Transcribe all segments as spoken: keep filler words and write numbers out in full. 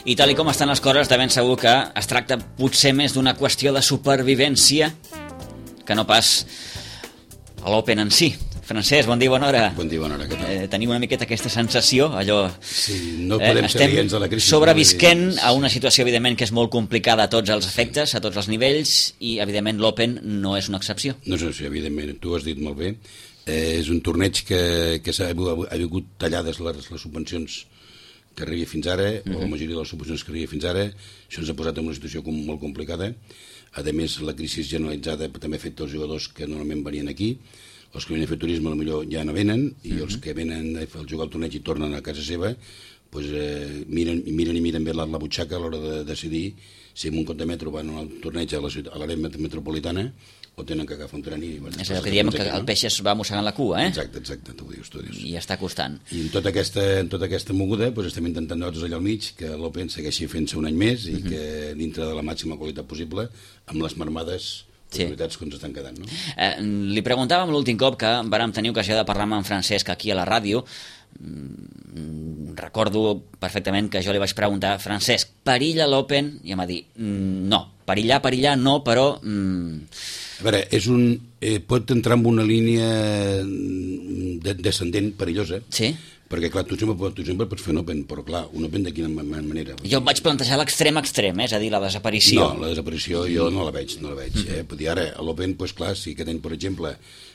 I tal i com estan les coses, de ben segur que es tracta potser més d'una qüestió de supervivència que no pas a l'Open en si. Francesc, bon dia, bona hora. Bon dia, bona hora, què tal? Eh, tenim una miqueta aquesta sensació, allò... Sí, no podem eh, ser aliens de la crisi. Sobrevisquent a una situació, evidentment, que és molt complicada a tots els efectes, a tots els nivells, i, evidentment, l'Open no és una excepció. No és una excepció, evidentment, tu has dit molt bé. Eh, és un torneig que, que s'ha ha hagut tallades les, les subvencions que arriba fins ara, mm-hmm. o la majoria de les subvencions que arriba fins ara. Això ens ha posat en una situació com, molt complicada. A més, la crisi generalitzada també ha fet els jugadors que normalment venien aquí. Els que venen a fer turisme potser ja no venen, i mm-hmm. els que venen a jugar al torneig i tornen a casa seva, pues, eh, miren, miren i miren bé la, la butxaca a l'hora de decidir si en un compte metro van al torneig a l'àrea metropolitana o tenen que agafar un tren i... Bueno, és allò que diem que aquí, el peix es va mossegant la cua, eh? Exacte, exacte, t'ho dius, t'ho dius. I està costant. I en tota aquesta, en tota aquesta moguda pues, estem intentant nosaltres allà al mig que l'Open segueixi fent-se un any més i mm-hmm. que dintre de la màxima qualitat possible, amb les marmades possibilitats sí. que ens estan quedant, no? Eh, li preguntàvem l'últim cop que vàrem tenir ocasió de parlar amb en Francesc aquí a la ràdio. Mm, recordo perfectament que jo li vaig preguntar, Francesc, perilla l'Open? I em va dir, mm, no, perillar, perillar no, però... Mm... A veure, és un, eh, pot entrar en una línia de, descendent perillosa, sí? Perquè, clar, tu sempre, tu sempre pots fer un Open, però, clar, un Open de quina manera? Jo em vaig plantejar l'extrem extrem, eh? És a dir, la desaparició. No, la desaparició jo no la veig, no la veig. Eh? Vull dir, ara, a l'Open, doncs, clar, si aquest any, per exemple,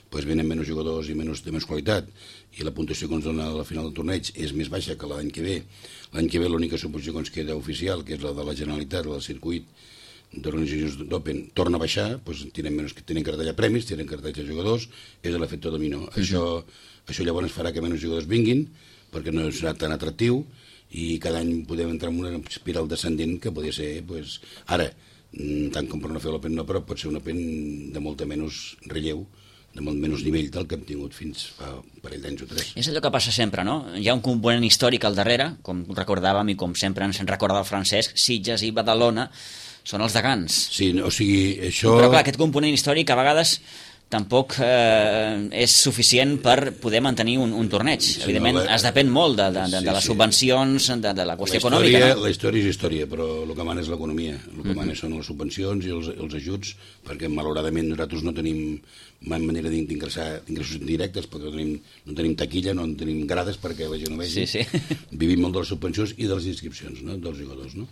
doncs, venen menys jugadors i menys, de menys qualitat, i la puntuació que ens dona a la final del torneig és més baixa que l'any que ve. L'any que ve l'única subvenció que ens queda oficial, que és la de la Generalitat, la del circuit d'organitzacions d'Open, torna a baixar, doncs, tenen, menys, tenen que retallar premis, tenen que retallar jugadors, és l'efecte dominó. Mm-hmm. Això, això llavors farà que menys jugadors vinguin, perquè no serà tan atractiu, i cada any podem entrar en una espiral descendent que podria ser, doncs, ara, tant com per no fer l'Open no, però pot ser un Open de molta menys relleu, de molt menys nivell del que hem tingut fins fa un parell d'anys o tres. És allò que passa sempre, no? Hi ha un component històric al darrere, com recordàvem i com sempre ens en recorda el Francesc, Sitges i Badalona són els degans. Sí, o sigui, això... Però clar, aquest component històric a vegades tampoc eh, és suficient per poder mantenir un, un torneig. Sí, evidentment, no, la... es depèn molt de, de, de, sí, de les subvencions, de, de la qüestió la història, econòmica. No? La història és història, però el que mana és l'economia. El que Mm-hmm. mana són les subvencions i els, els ajuts, perquè malauradament nosaltres no tenim manera d'ingressar ingressos directes, perquè no tenim, no tenim taquilla, no tenim grades perquè la gent ho vegi. Sí, sí. Vivim molt de les subvencions i de les inscripcions, no? Dels jugadors, no?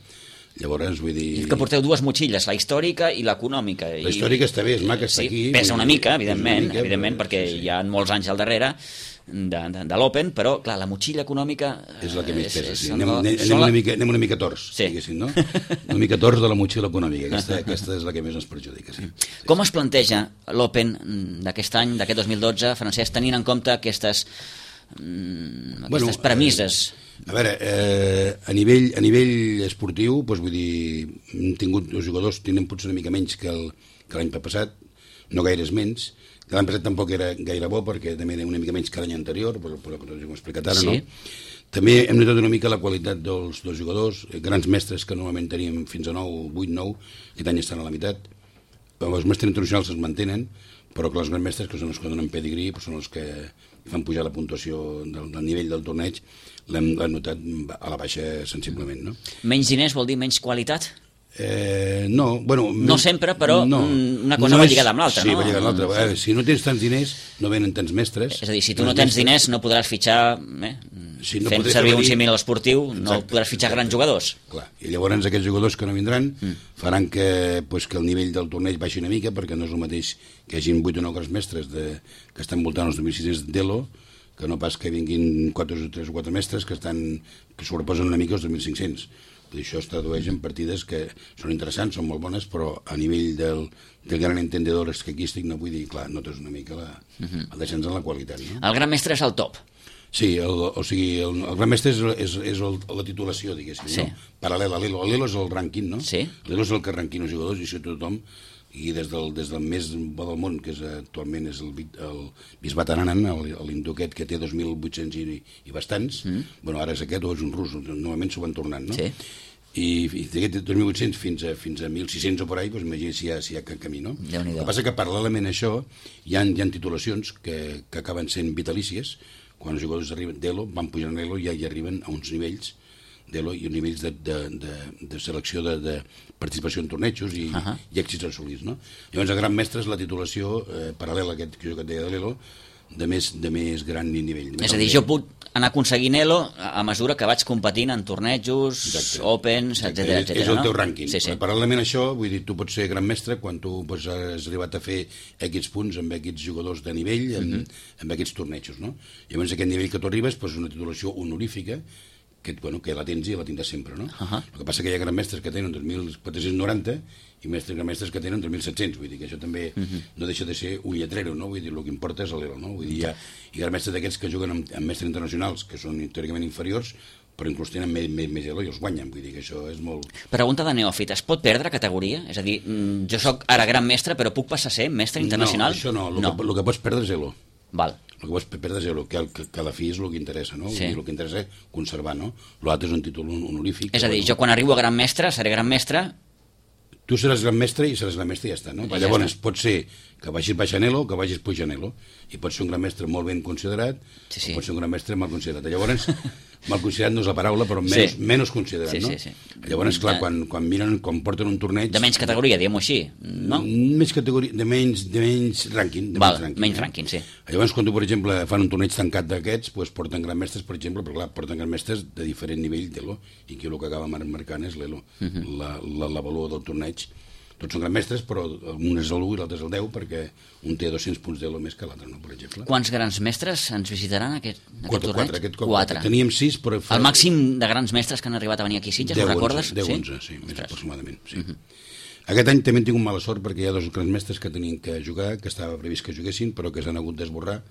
Llavors, vull dir... I que porteu dues motxilles, la històrica i l'econòmica. La històrica està bé, és maca, està sí, aquí... Pesa una mica, evidentment, una mica, evidentment però, perquè sí, sí. hi ha molts anys al darrere de, de, de l'Open, però, clar, la motxilla econòmica... És la que més pesa, sí. Són, Anem, anem, anem, la... una mica, anem una mica tors, sí. diguéssim, no? Una mica tors de la motxilla econòmica, aquesta, aquesta és la que més ens perjudica, sí. Com es planteja l'Open d'aquest any, d'aquest dos mil dotze, Francesc, tenint en compte aquestes, aquestes bueno, premisses? Eh, a veure, eh, a, nivell, a nivell esportiu, doncs vull dir, hem tingut els jugadors, tenen potser una mica menys que el, que l'any passat, no gaires menys, que l'any passat tampoc era gaire bo, perquè també era una mica menys que l'any anterior, però, però que ho hem explicat ara, sí. No? També hem notat una mica la qualitat dels, dels jugadors, grans mestres que normalment teníem fins a nou, vuit, nou, aquest any estan a la meitat. Els mestres internacionals es mantenen, però que els grans mestres, que són els que donen pedigrí, són els que fan pujar la puntuació del, del nivell del torneig, l'hem notat a la baixa sensiblement, no? Menys diners vol dir menys qualitat? Eh, no, bueno... No sempre, però no, una cosa no va és, lligada amb l'altra, sí, no? Sí, va lligada amb l'altra. Veure, si no tens tants diners, no venen tants mestres. És a dir, si tu no tens mestres, diners, no podràs fitxar... Eh, sí, no fent servir un símil esportiu, exacte, no podràs fitxar exacte. grans jugadors. Clar, i llavors aquests jugadors que no vindran mm. faran que, pues, que el nivell del torneig baixi una mica, perquè no és el mateix que hi hagin vuit o nou grans mestres de, que estan voltant els dos mil sis-cents d'Elo, que no pas que vinguin quatre o tres o quatre mestres que, estan, que sobreposen una mica els dos mil cinc-cents. Això es tradueix en partides que són interessants, són molt bones, però a nivell del, del gran entendedor escaquístic no vull dir, clar, notes una mica la, uh-huh. el descens en la qualitat. No? El gran mestre és el top. Sí, el, o sigui, el, el gran mestre és, és, és el, la titulació, diguéssim, sí. No? Paral·lel a l'Elo. L'Elo és el rànquing, no? Sí. L'Elo és el que rànquing els jugadors i això tothom, i des del, des del més bo del món, que és, actualment és el, el Bisbat Ananan, l'hindú aquest que té dos mil vuit-cents i, i bastants, mm. bueno, ara és aquest o és un rus, normalment s'ho van tornant, no? Sí. I, i d'aquest dos mil vuit-cents fins a, fins a mil sis-cents o per ahí, doncs imagina si hi ha, si hi ha camí, no? El que passa que paral·lelament a això hi ha, hi ha titulacions que, que acaben sent vitalícies, quan els jugadors arriben d'Elo, van pujant a l'Elo i ja hi arriben a uns nivells d'Elo i nivells de, de, de, de selecció de, de participació en tornejos i, uh -huh. i èxits assolits, no? Llavors, a Gran Mestre és la titulació eh, paral·lela a aquest que jo que et deia de l'Elo, de més, de més gran nivell. És a dir, jo puc anar aconseguint Elo a mesura que vaig competint en tornejos, Exacte. Opens, etcètera. És, és el no? teu rànquing. Sí, sí. Paral·lelament a això, vull dir, tu pots ser gran mestre quan tu pues, has arribat a fer aquests punts amb aquests jugadors de nivell, amb, uh -huh. amb aquests tornejos, no? Llavors, aquest nivell que tu arribes pues, és una titulació honorífica que, bueno, que la tens i la tindràs sempre, no? Uh -huh. El que passa que hi ha gran mestres que tenen dos mil quatre-cents noranta i mestres gran mestres que tenen dos mil set-cents, vull dir que això també uh -huh. no deixa de ser un lletrero, no? Vull dir, el que importa és l'Elo, no? Vull dir, hi ha, hi ha gran mestres d'aquests que juguen amb, amb mestres internacionals, que són teòricament inferiors, però inclús tenen més, més, més Elo i els guanyen, vull dir que això és molt... Pregunta de neòfit, es pot perdre categoria? És a dir, jo sóc ara gran mestre, però puc passar a ser mestre internacional? No, això no, el, no. Que, el que pots perdre és Elo. Val. El que pots perdre és Elo, que, que, que a la fi és el que interessa, no? Sí. I el que interessa és conservar, no? L'altre és un títol honorífic. És a dir, jo quan arribo a gran mestre, seré gran mestre... Tu seràs gran mestre i seràs gran mestre i ja està, no? Ja Llavors, està. Pot ser que vagis baixant Elo o que vagis pujant Elo. I pot ser un gran mestre molt ben considerat, sí, sí. o pot ser un gran mestre mal considerat. Llavors, mal considerat no és la paraula, però menys, sí. menys considerat, sí, no? Sí, sí. Llavors, clar, quan, quan miren, quan porten un torneig... De menys categoria, diguem-ho així, no? Menys categoria, de menys, de menys rànquing. De Val, menys rànquing, menys no? rànquing, sí. Llavors, quan tu, per exemple, fan un torneig tancat d'aquests, doncs porten gran mestres, per exemple, però clar, porten gran mestres de diferent nivell d'Elo, i que el que acaba marcant és l'Elo, uh -huh. la, la, la valor del torneig. Tots són grans mestres, però un és l'u i l'altre és el deu, perquè un té dos-cents punts d'Elo més que l'altre, no, per exemple. Quants grans mestres ens visitaran aquest, aquest quatre, torneig? Quatre, aquest cop. Quatre. Teníem sis, però... Fa... El màxim de grans mestres que han arribat a venir aquí a Sitges, ho recordes? deu, sí? onze, sí, més aproximadament, sí. Uh -huh. Aquest any també hem tingut mala sort perquè hi ha dos grans mestres que tenien que jugar, que estava previst que juguessin, però que s'han hagut d'esborrar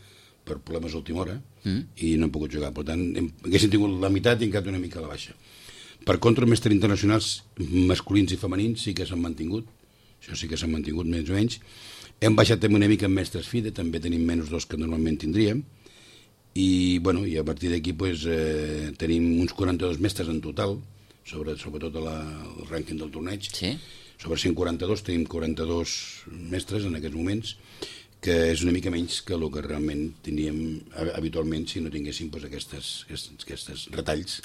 per problemes d'última hora, uh -huh. i no han pogut jugar. Per tant, hem, haguessin tingut la meitat i encara una mica a la baixa. Per contra, mestres internacionals masculins i femenins sí que s'han mantingut, això sí que s'han mantingut més o menys. Hem baixat també una mica en mestres FIDE, també tenim menys dos que normalment tindríem, i, bueno, i a partir d'aquí pues, eh, tenim uns quaranta-dos mestres en total, sobre, sobretot la, el rànquing del torneig. Sí? Sobre cent quaranta-dos tenim quaranta-dos mestres en aquests moments, que és una mica menys que el que realment tindríem habitualment si no tinguéssim pues, aquestes, aquestes, aquests retalls.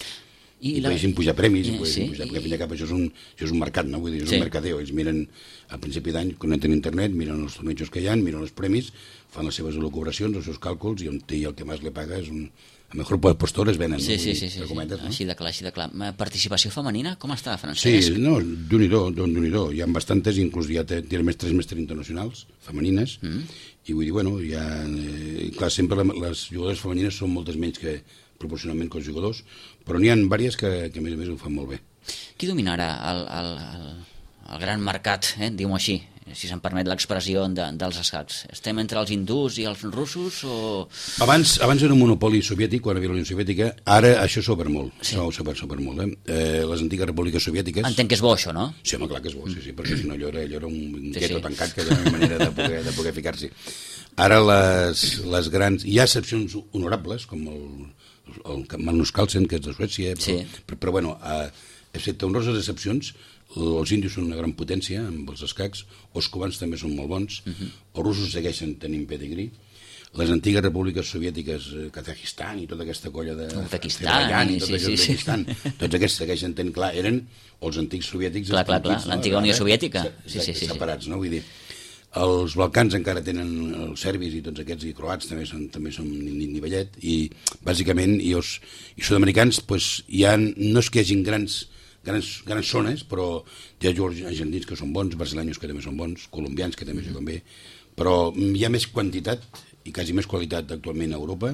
I, I la... poguessin pujar premis, i, i poguessin sí, pujar, perquè al fin i al cap això és un, això és un mercat, no? Vull dir, és sí. un mercadeo. Ells miren a principi d'any, connecten a internet, miren els tornejos que hi ha, miren els premis, fan les seves elucubracions, els seus càlculs, i on té el que més li paga és un... A mejor postor es venen, sí, no? Sí, sí, sí, comentes, sí. No? Així de clar, així de clar. Participació femenina, com està, Francesc? Sí, no, d'un-i-do, d'un-i-do. Hi ha bastantes, inclús hi ha tres mestres internacionals, femenines, mm. i vull dir, bueno, hi ha... Eh, clar, sempre les jugadores femenines són moltes menys que proporcionalment que els jugadors, però n'hi ha diverses que, que a més a més ho fan molt bé. Qui dominarà el, el, el, el gran mercat, eh, diguem-ho així, si se'm permet l'expressió de, dels escacs? Estem entre els hindús i els russos o...? Abans, abans era un monopoli soviètic, quan hi havia la Unió Soviètica, ara això s'ha obert molt, sí. s'ha obert, obert molt. Eh? Eh, les antigues repúbliques soviètiques... Entenc que és bo, això, no? Sí, home, clar que és bo, sí, sí, perquè si no allò era, allò era un sí, gueto sí. tancat que era una manera de poder, de poder ficar-s'hi. Ara les, les grans... Hi ha excepcions honorables, com el... el Magnus Carlsen, que és de Suècia, però, sí. però, però bueno, eh, excepte honroses excepcions, els índios són una gran potència amb els escacs, els cubans també són molt bons, uh -huh. els russos segueixen tenint pedigrí, les antigues repúbliques soviètiques, eh, Kazajistan i tota aquesta colla de... Uzbekistan, i tot sí, sí, sí. Tots aquests segueixen tenint, clar, eren els antics soviètics... Clar, clar, clar, l'antiga Unió Soviètica. Sí, sí, sí, separats, no? Vull dir, els Balcans encara tenen els serbis i tots aquests, i croats també són, també són nivellet, i bàsicament, i els i sud-americans, pues, hi ha, no és que hi hagin grans, grans, grans zones, però hi ha jugadors argentins que són bons, brasileños que també són bons, colombians que també juguen bé, però hi ha més quantitat i quasi més qualitat actualment a Europa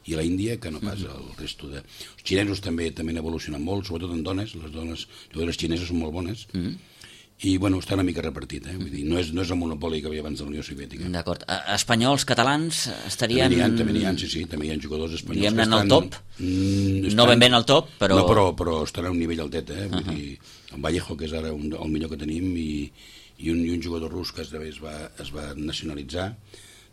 i a la Índia que no pas al resto de... Els xinesos també també han evolucionat molt, sobretot en dones, les dones jugadores xineses són molt bones, mm -hmm. i bueno, està una mica repartit, eh? Vull dir, no és, no és el monopoli que havia abans de la Unió Soviètica. D'acord. Espanyols, catalans estarien... També n'hi ha, també n'hi ha, sí, sí, també hi ha jugadors espanyols diguem-ne que estan... en el top? Mm, estan... No ben bé en el top, però... No, però, però estan a un nivell altet, eh? Vull uh -huh. dir, en Vallejo, que és ara un, el millor que tenim, i, i, un, i un jugador rus que es va, es va nacionalitzar,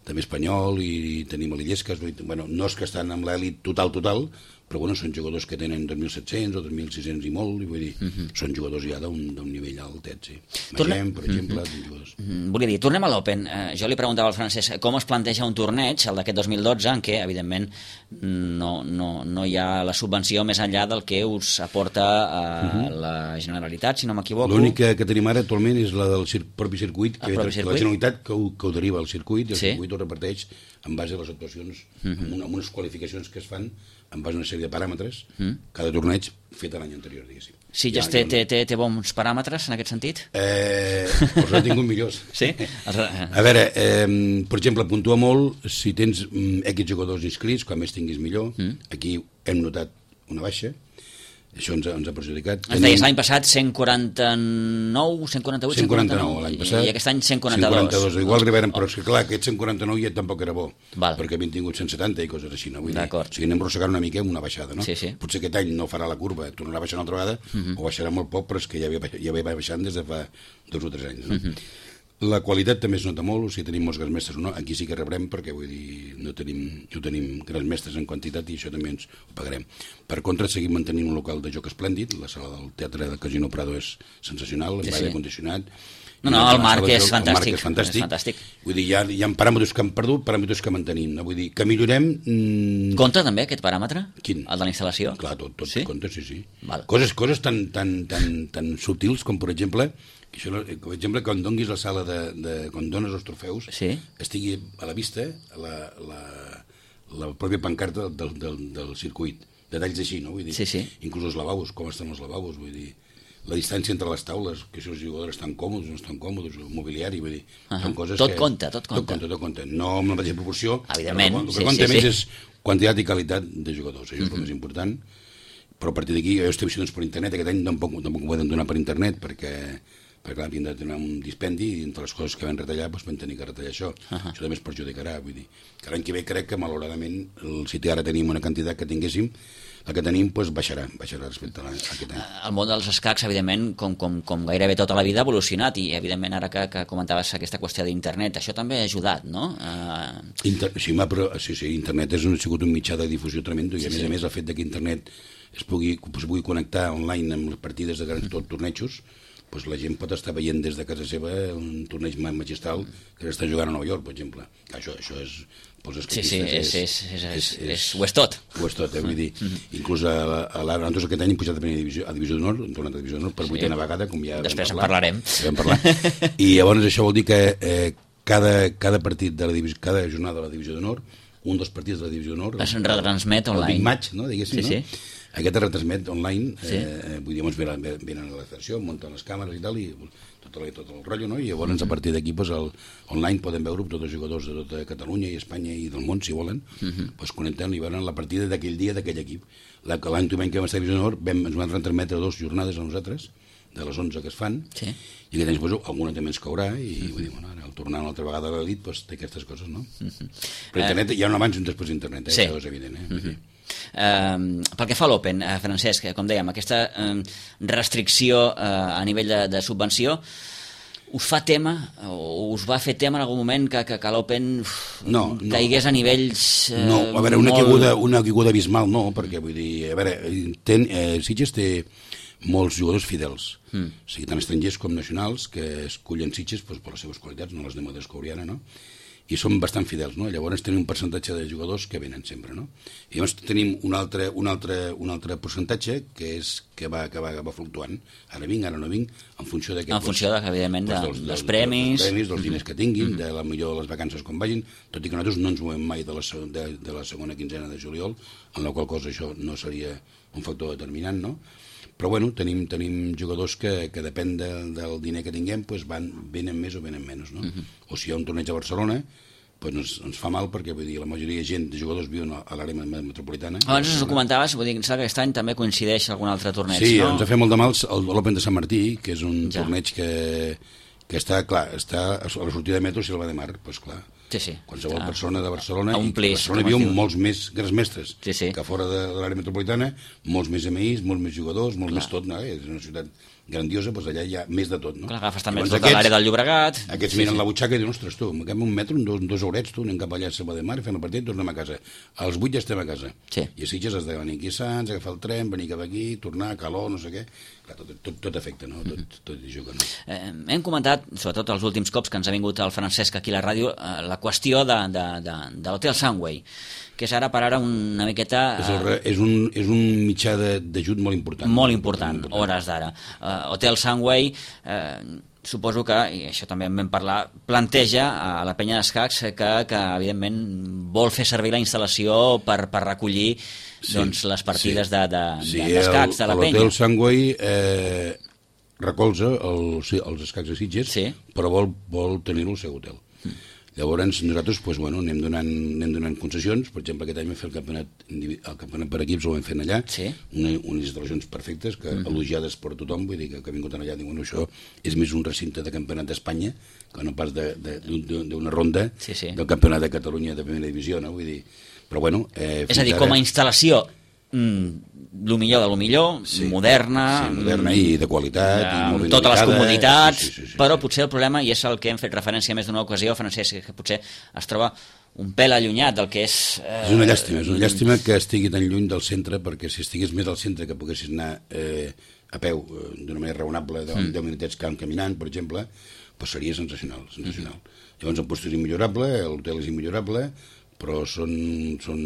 també espanyol, i, i tenim l'Illescas, bueno, no és que estan amb l'elit total, total, però bueno, són jugadors que tenen dos mil set-cents o dos mil sis-cents i molt, i vull dir, uh -huh. són jugadors ja d'un nivell altet, sí. Magem, per exemple, uh -huh. jugadors... Mm, volia dir, tornem a l'Open. Eh, jo li preguntava al Francesc com es planteja un torneig, el d'aquest dos mil dotze, en què, evidentment, no, no, no hi ha la subvenció més enllà del que us aporta eh, uh-huh. la Generalitat, si no m'equivoco. L'única que tenim ara actualment és la del cir propi circuit, que propi circuit? La Generalitat que ho, que ho deriva al circuit, i el sí. circuit ho reparteix en base a les actuacions, uh-huh. amb, una, amb unes qualificacions que es fan en base a una sèrie de paràmetres, uh-huh. cada torneig fet l'any anterior, diguéssim. Sí, ja, ja té, té, té, té bons paràmetres en aquest sentit? Eh, els he tingut millors. Sí? A veure, eh, per exemple, puntua molt si tens mm, X jugadors inscrits, com més tinguis millor. Mm. Aquí hem notat una baixa. Això ens ha, ens ha perjudicat. Ens deies l'any passat cent quaranta-nou, cent quaranta-vuit, cent quaranta-nou l'any passat. I aquest any cent quaranta-dos. cent quaranta-dos. Igual arribarem, però és que clar, aquest cent quaranta-nou ja tampoc era bo, Val. perquè havíem tingut cent setanta i coses així, no? Vull dir, o sigui, anem rossegant una mica una baixada, no? Sí, sí. Potser aquest any no farà la curva, tornarà a baixar una altra vegada, uh-huh. o baixarà molt poc, però és que ja ve, ja ve baixant des de fa dos o tres anys, no? Uh-huh. La qualitat també es nota molt, o sigui, tenim molts grans mestres o no, aquí sí que rebrem perquè vull dir, no tenim, no tenim grans mestres en quantitat i això també ens ho pagarem. Per contra, seguim mantenint un local de joc esplèndid, la sala del Teatre del Casino Prado és sensacional, amb sí, aire sí. condicionat. No, no, el marc és joc, fantàstic. El marc és fantàstic. És fantàstic. Vull dir, hi ha, hi ha paràmetres que hem perdut, paràmetres que mantenim. No? Vull dir, que millorem... Mmm... Compta també aquest paràmetre? Quin? El de la instal·lació? Clar, tot, tot sí? compta, sí, sí. Val. Coses, coses tan, tan, tan, tan subtils com, per exemple, això, per exemple, quan donguis la sala de, de quan dones els trofeus, sí? estigui a la vista la, la, la pròpia pancarta del, del, del circuit. Detalls així, no? Vull dir, sí, sí. Inclús els lavabos, com estan els lavabos, vull dir, la distància entre les taules, que si els jugadors estan còmodes o no estan còmodes, el mobiliari, vull dir, uh -huh. són coses tot que... Compta, tot compta, tot compta. Tot compta, no amb la mateixa proporció. Evidentment, el que sí, compta sí, més sí. és quantitat i qualitat de jugadors, això és uh -huh. el més important, però a partir d'aquí jo estic doncs, per internet, aquest any tampoc, tampoc ho podem donar per internet, perquè perquè clar, havíem de tenir un dispendi i entre les coses que vam retallar doncs vam tenir que retallar això. Uh -huh. Això també es perjudicarà, vull dir, que l'any que ve crec que malauradament el, si ara tenim una quantitat que tinguéssim, la que tenim doncs, baixarà, baixarà respecte a, a aquest any. El món dels escacs, evidentment, com, com, com gairebé tota la vida, ha evolucionat i, evidentment, ara que, que comentaves aquesta qüestió d'internet, això també ha ajudat, no? Uh... Inter sí, ma, però, sí, sí, internet és un, ha sigut un mitjà de difusió tremendo i, a sí, més sí. a més, el fet que internet es pugui, es pugui connectar online amb les partides de grans tot tornejos, doncs la gent pot estar veient des de casa seva un torneig magistral que s'està jugant a Nova York, per exemple. Això, això és... Sí, sí, és, és, és, és, és, ho és tot. Ho és tot, eh? Vull dir, inclús a, a l'ara, nosaltres aquest any hem pujat a primera divisió, a divisió d'honor, hem tornat a divisió d'honor per vuitena sí. vegada, com ja després en parlar, parlarem. Ja vam parlar. I llavors això vol dir que eh, cada, cada partit de la divisió, cada jornada de la divisió d'honor, un dels partits de la divisió d'honor... Es retransmet online. El Big Match, no? Diguéssim, sí, no? Sí. Aquest es retransmet online, sí. eh, vull dir, llavors venen, venen a la federació, munten les càmeres i tal, i tot el, tot el rotllo, no? I llavors a partir d'aquí pues, el, online podem veure tots els jugadors de tota Catalunya i Espanya i del món, si volen, uh-huh. pues, connecten i veuran la partida d'aquell dia d'aquell equip. L'any que vam estar a Divisió d'Honor vam, ens van retransmetre dues jornades a nosaltres, de les onze que es fan, sí. i aquest any pues, alguna també ens caurà, i uh-huh. vull dir, bueno, ara, al tornar una altra vegada a l'elit pues, té aquestes coses, no? Uh-huh. Però internet, uh... hi ha un abans i un després d'internet, eh? Sí. Això és evident, eh? Uh-huh. Uh, pel que fa a l'Open, uh, Francesc, com dèiem, aquesta uh, restricció uh, a nivell de, de subvenció us fa tema, o us va fer tema en algun moment que, que, que l'Open no, no, caigués a nivells uh, no, a veure, una molt... caiguda, una caiguda abismal no, perquè vull dir, a veure, ten, eh, Sitges té molts jugadors fidels, mm. o sigui, tant estrangers com nacionals, que escullen Sitges doncs, per les seves qualitats, no les anem a descobrir ara, no? I són bastant fidels, no? Llavors tenim un percentatge de jugadors que venen sempre, no? I llavors tenim un altre, un altre, un altre percentatge que és que va, que va, va fluctuant. Ara vinc, ara no vinc, en funció d'aquest... En funció, de, evidentment, de, dels, dels premis... Dels premis, dels mm-hmm. diners que tinguin, mm-hmm. de la millor de les vacances com vagin, tot i que nosaltres no ens movem mai de la, de, de la segona quinzena de juliol, en la qual cosa això no seria un factor determinant, no? Però bueno, tenim, tenim jugadors que, que depèn de, del diner que tinguem, doncs van, venen més o venen menys, no? Uh-huh. O si hi ha un torneig a Barcelona, doncs ens, ens fa mal perquè vull dir, la majoria de gent de jugadors viuen a l'àrea metropolitana. Abans us ho comentaves, vull dir, que aquest any també coincideix algun altre torneig, sí, no? Sí, ens ha fet molt de mal l'Open de Sant Martí, que és un ja. torneig que, que està, clar, està a la sortida de metro si el va de mar, doncs clar, Sí, sí. Qualsevol Està persona de Barcelona, a un i plis, a Barcelona com es viu diu. molts més gresmestres Sí, sí. que fora de, de l'àrea metropolitana, molts més M Is, molts més jugadors, molt Clar. més tot, no? És una ciutat grandiosa, doncs allà hi ha més de tot, no? Clar, agafes també Llavors tota l'àrea del Llobregat. Aquests Sí, miren sí. la butxaca i diuen, ostres, tu, m'agafem un metro, dos, dos horets, tu, anem cap allà a Selva de Mar, fem el partit, tornem a casa. Als vuit ja estem a casa. Sí. I a Sitges has de venir aquí a Sants, agafar el tren, venir cap aquí, tornar, calor, no sé què. Clar, tot, tot, tot afecta, no? Tot, tot hi juga, no? Eh, hem comentat, sobretot els últims cops que ens ha vingut el Francesc aquí a la ràdio, eh, la qüestió de, de, de, de l'Hotel Sunway, que és ara per ara una miqueta... És, el, re- és, un, és un mitjà de- d'ajut molt important. Molt important, hores d'ara. Uh, Hotel Sunway, uh, suposo que, i això també en vam parlar, planteja a la penya d'escacs que, que evidentment vol fer servir la instal·lació per, per recollir Sí, doncs, les partides sí. de, de, Sí, de, d'escacs de la penya. L'Hotel Sunway eh, recolza el, sí, els escacs de Sitges, Sí. però vol, vol tenir-lo al seu hotel. Mm. Llavors nosaltres pues, bueno, anem, donant, anem donant concessions. Per exemple, aquest any vam fer el campionat, indivi- el campionat per equips, ho vam fer allà, Sí. una, unes instal·lacions perfectes, que mm. elogiades per tothom, vull dir que, que ha vingut allà, diuen, això és més un recinte de campionat d'Espanya que no pas d'una de, de, d'una ronda Sí, sí. del campionat de Catalunya de primera divisió, no? Vull dir, però bueno... Eh, És a dir, fins com a ara- instal·lació, mm, lo millor de lo millor, Sí. moderna, Sí, moderna i de qualitat, i molt amb ben totes les ubicada. comoditats, Sí, sí, sí, sí, però sí. potser el problema, i és el que hem fet referència més d'una ocasió, Francesc, que potser es troba un pèl allunyat del que és... Eh, És una llàstima, és una llàstima que estigui tan lluny del centre, perquè si estigués més al centre, que poguessis anar eh, a peu eh, d'una manera raonable, de Mm. deu minutets cam- caminant, per exemple, pues seria sensacional, sensacional. Mm-hmm. Llavors el post és immillorable, l'hotel és immillorable, però són, són